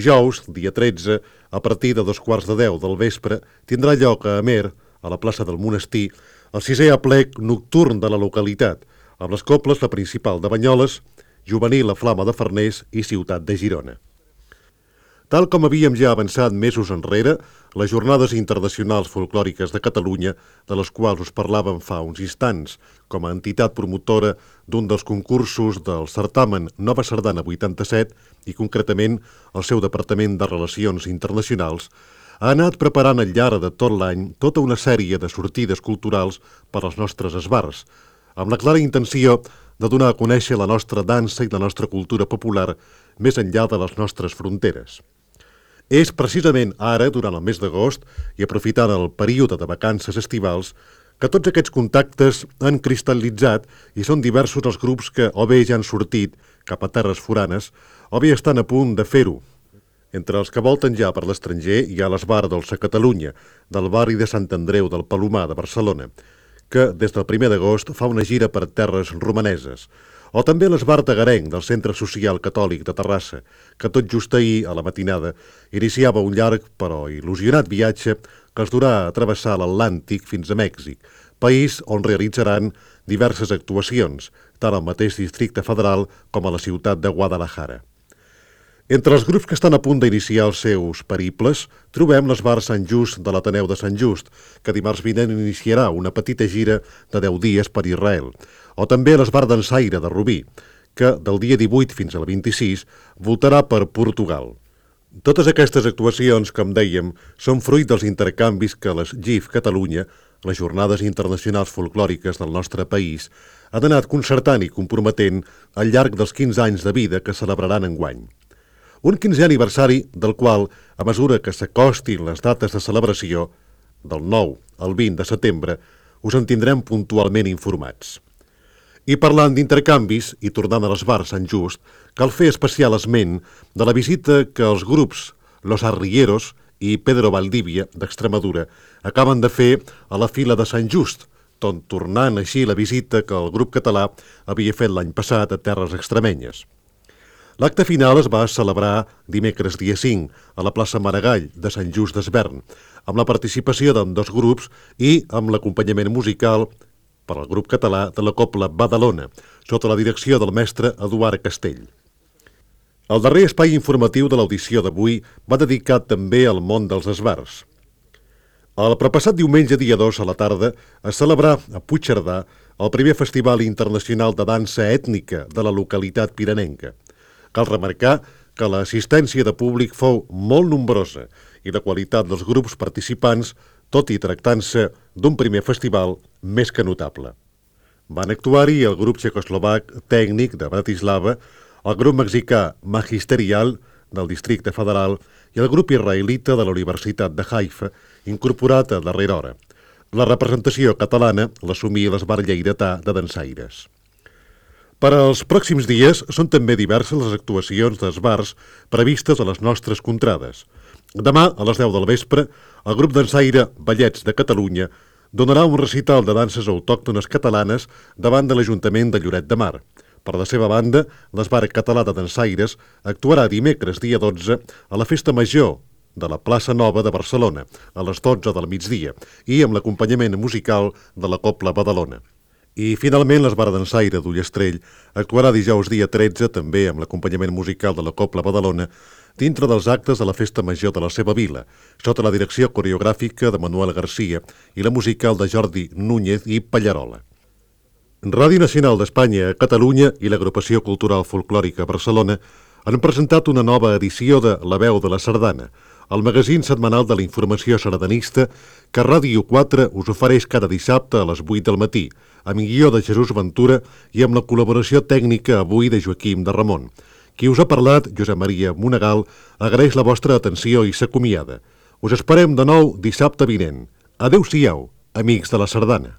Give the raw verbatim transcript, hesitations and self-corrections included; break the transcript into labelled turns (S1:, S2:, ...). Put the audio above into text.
S1: Dijous, dia tretze, a partir de dos quarts de deu del vespre, tindrà lloc a Amer, a la plaça del Monestir, el sisè aplec nocturn de la localitat, amb les cobles La Principal de Banyoles, Juvenil La Flama de Farners i Ciutat de Girona. Tal com havíem ja avançat mesos enrere, les Jornades Internacionals Folclòriques de Catalunya, de les quals us parlàvem fa uns instants, com a entitat promotora d'un dels concursos del certamen Nova Sardana vuitanta-set i concretament el seu Departament de Relacions Internacionals, ha anat preparant al llarg de tot l'any tota una sèrie de sortides culturals per als nostres esbars, amb la clara intenció de donar a conèixer la nostra dansa i la nostra cultura popular més enllà de les nostres fronteres. És precisament ara, durant el mes d'agost, i aprofitant el període de vacances estivals, que tots aquests contactes han cristal·litzat i són diversos els grups que o bé ja han sortit cap a terres foranes o bé estan a punt de fer-ho. Entre els que volten ja per l'estranger hi ha l'Esbar Dolça Catalunya, del barri de Sant Andreu del Palomar de Barcelona, que des del primer d'agost fa una gira per terres romaneses, o també l'Esbar Tagarenc del Centre Social Catòlic de Terrassa, que tot just ahir, a la matinada, iniciava un llarg però il·lusionat viatge que els durà a travessar l'Atlàntic fins a Mèxic, país on realitzaran diverses actuacions, tant al mateix Districte Federal com a la ciutat de Guadalajara. Entre els grups que estan a punt d'iniciar els seus periples, trobem l'Esbar Sant Just de l'Ateneu de Sant Just, que dimarts vinent iniciarà una petita gira de deu dies per Israel, o també l'Esbar Dansaire de Rubí, que del dia divuit fins al vint-i-sis voltarà per Portugal. Totes aquestes actuacions, com dèiem, són fruit dels intercanvis que les G I F Catalunya, les Jornades Internacionals Folclòriques del nostre país, han anat concertant i comprometent al llarg dels quinze anys de vida que celebraran enguany. Un quinzè aniversari del qual, a mesura que s'acostin les dates de celebració, del nou al vint de setembre, us en tindrem puntualment informats. I parlant d'intercanvis, i tornant a l'Esbar Sant Just, cal fer especial esment de la visita que els grups Los Arrieros i Pedro Valdivia, d'Extremadura, acaben de fer a la fila de Sant Just, tot tornant així la visita que el grup català havia fet l'any passat a terres extremenyes. L'acte final es va celebrar dimecres dia cinc a la plaça Maragall de Sant Just d'Esvern, amb la participació d'ambdós grups i amb l'acompanyament musical per al grup català de la Cobla Badalona, sota la direcció del mestre Eduard Castell. El darrer espai informatiu de l'audició d'avui va dedicat també al món dels esbars. El propassat diumenge dia dos a la tarda es celebrà a Puigcerdà el primer Festival Internacional de Dansa Ètnica de la localitat piranenca. Cal remarcar que l'assistència de públic fou molt nombrosa i la qualitat dels grups participants, tot i tractant-se d'un primer festival més que notable. Van actuar-hi el grup txecoslovac Tècnic de Bratislava, el grup mexicà Magisterial del Districte Federal i el grup israelita de la Universitat de Haifa, incorporat a darrera hora. La representació catalana l'assumí l'Esbar Lleidatà de Dansaires. Per als pròxims dies són també diverses les actuacions d'esbars previstes a les nostres contrades. Demà, a les deu del vespre, el grup dansaire Ballets de Catalunya donarà un recital de danses autòctones catalanes davant de l'Ajuntament de Lloret de Mar. Per la seva banda, l'Esbar Català de Dansaires actuarà dimecres dia dotze a la Festa Major de la Plaça Nova de Barcelona, a les dotze del migdia, i amb l'acompanyament musical de la Cobla Badalona. I, finalment, l'Esbar Dansaire d'Ullastrell actuarà dijous dia tretze, també amb l'acompanyament musical de la Cobla Badalona, dintre dels actes de la Festa Major de la seva vila, sota la direcció coreogràfica de Manuel García i la musical de Jordi Núñez i Pallarola. Ràdio Nacional d'Espanya a Catalunya i l'Agrupació Cultural Folclòrica Barcelona han presentat una nova edició de La Veu de la Sardana, el magazín setmanal de la informació sardanista que Ràdio quatre us ofereix cada dissabte a les vuit del matí, amb guió de Jesús Ventura i amb la col·laboració tècnica avui de Joaquim de Ramon. Qui us ha parlat, Josep Maria Monegal, agraeix la vostra atenció i s'acomiada. Us esperem de nou dissabte vinent. Adéu-siau, amics de la sardana.